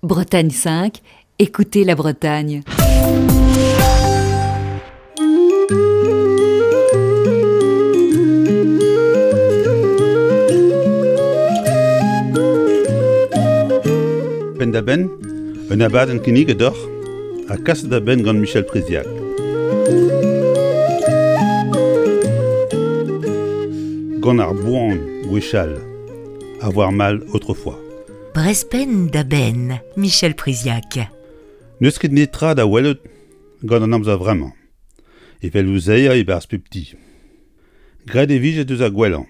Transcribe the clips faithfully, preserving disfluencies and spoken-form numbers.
Bretagne cinq, écoutez la Bretagne. Penn-da-benn, un abadenn kinniget deoc'h ha kaset da benn gant Michel Priziac. Gant ar boan gwechall, avoir mal autrefois. Brezh penn da benn, Michel Priziac. N'eus ket netra da welout gant an amzer vremañ, evel louzeier e-barzh pep ti. Graet e vije deus ar gwellañ.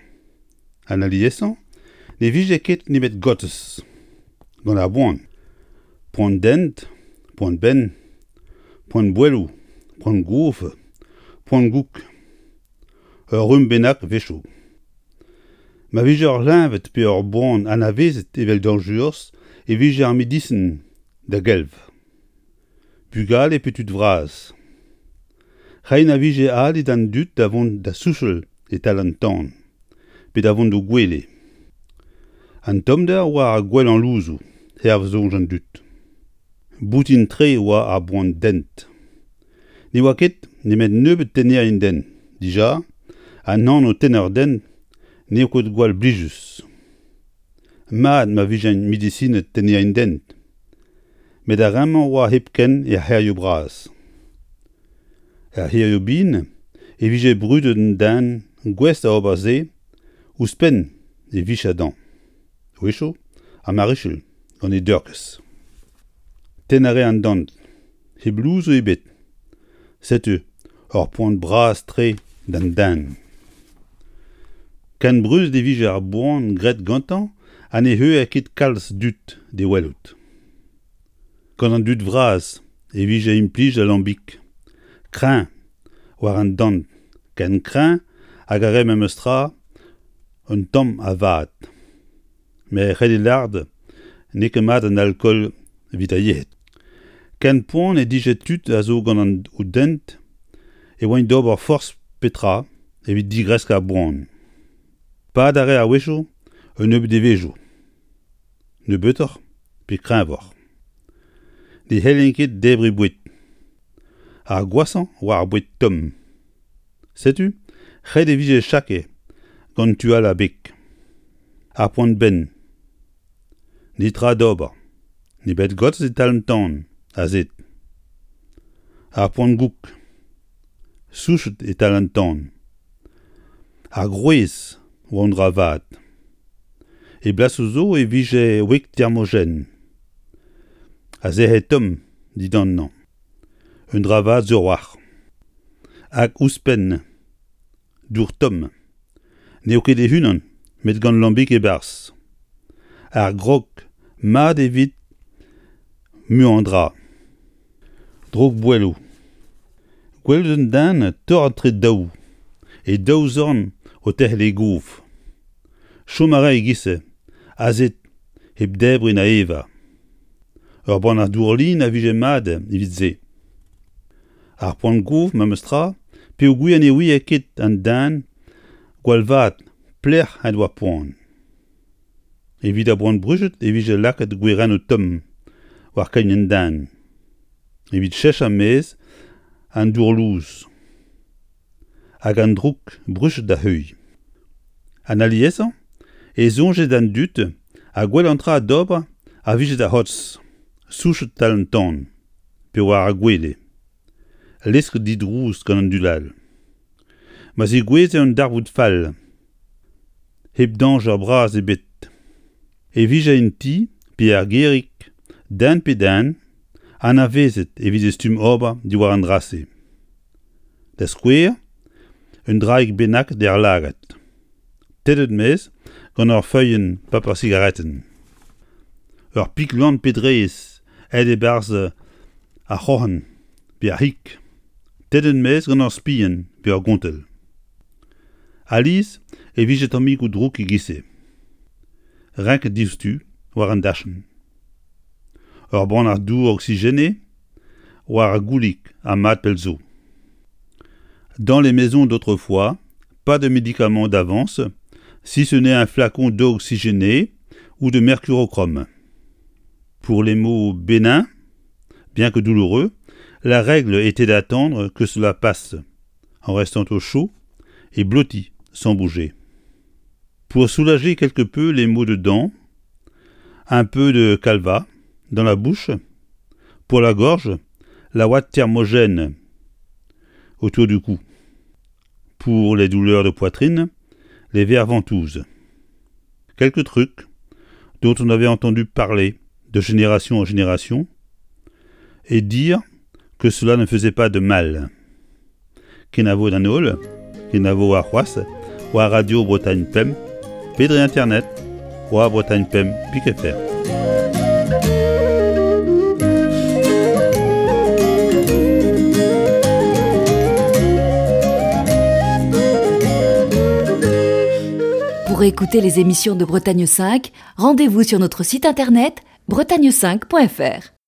An aliesañ ne vije ket nemet gotez. Gant ar boan. Poan dent, poan benn, poan bouelloù, poan gof, poan goûg. Ur rumm bennak 'wechoù. Ma vije ur c'hleñved pe ur boan anavezet evel dañjerus e vije ar medisin da gelv. Bugale pe tud vras. Reiñ a vije ali d'an dud da vont da souchal e-tal an tan, pe da vont d'o gwele. An tommder oa ar gwellañ louzoù, hervez soñj an dud. Boutin-tre oa ar boan dent. Ne oa ket nemet nebeut tennerien-dent. Dija, an anv tenner-dent n'eo ket gwall blijus. Mat ma vijent medisined tennerien-dent. Met ar re-mañ oa hepken er c'hêrioù bras. Er c'hêrioù bihan e vije brudet un den gouest da ober se ouzhpenn e vicher dezhañ. A-wechoù, ar marichal gant e deurkez. Tennañ a rae an dant, hep louzoù ebet. Setu ur poan bras-tre d'an den. Ken brudet e vije ar boan graet gantañ ha ne zeuer ket kalz dud d'e welout. Gant an dud vras e vije implijet al lambig, kreñv war an dant, ken kreñv hag a rae memes tra un tamm a vad. Met ret eo lâret n'eo ket mat an alkool evit ar yec'hed. Ken poan he dije tud a zo gant o dent e oant d'ober forzh petra evit digresk ar boan. Pad a rae a-wechoù un nebeud devezhioù. Nebeutoc'h pe kreñvoc'h. Ne c'hellent ket debriñ boued. Ar gwashañ oa ar boued tomm. Setu ret e vije chake gant tu all ar beg. Ar poan-benn. Netra d'ober. Nemet gotez e-tal an tan, azezet. Ar poan-goûg. Souchet e-tal an tan. Ar grouez oa un dra vat. E blasoù zo e vije wig thermogène. A zec'he tomm dindannañ. Un dra vat sur a-walc'h. Hag ouzhpenn. Dour tomm. N'eo ket e-unan, met gant lambig e-barzh. Ar grog mat evit muiañ dra. Droug-bouelloù. Gwelout un den torret etre daou, e daou zorn o terc'hel e gof. Chom a rae e-giz-se, azezet hep debriñ na evañ. Ur bannac'h dour-lin a vije mat evit se. Ar poan-gof memes tra peogwir ne ouie ket an den gwall vat pelec'h en doa poan. Evit ar boan-bruched e vije lakaet gwerennoù tomm war kein an den. Evit cheñch maez an dour lous. Hag an droug bruched da heuilh. An aliesañ e soñje d'an dud ha gwellañ tra d'ober a vije da c'hortoz, souchet tal an tan, pe war ar gwele. Lesket didrouz gant an dud all. Ma zegouezhe un darvoud fall, hep dañjer bras ebet, e vije en ti pe er gêrig den pe den anavezet evit e stumm ober diwar an dra-se. Da skouer, un draig bennak d'er lagad. Tennet maez gant ur feuilhenn paper sigaretenn. Ur pik lann pe drez aet e-barzh ar c'hroc'hen pe ar c'hig. Tennet maez gant ur spilhenn pe ur gontell. Alies e vije tammigoù drouk e-giz-se. Renket diouzhtu war an dachenn. Ur bannac'h dour oxygéné war ar goulig ha mat pell zo. Dans les maisons d'autrefois, pas de médicaments d'avance, si ce n'est un flacon d'eau oxygénée ou de mercurochrome. Pour les maux bénins, bien que douloureux, la règle était d'attendre que cela passe, en restant au chaud et blotti, sans bouger. Pour soulager quelque peu les maux de dents, un peu de calva dans la bouche, pour la gorge, la ouate thermogène autour du cou. Pour les douleurs de poitrine, les verres ventouses. Quelques trucs dont on avait entendu parler de génération en génération et dire que cela ne faisait pas de mal. Kenavo d'an holl, kenavo ar c'hoazh, war Radio Bretagne Pemp, pe dre internet, war Bretagne Pemp pik F R. Pour écouter les émissions de Bretagne cinq, rendez-vous sur notre site internet bretagne cinq point F R.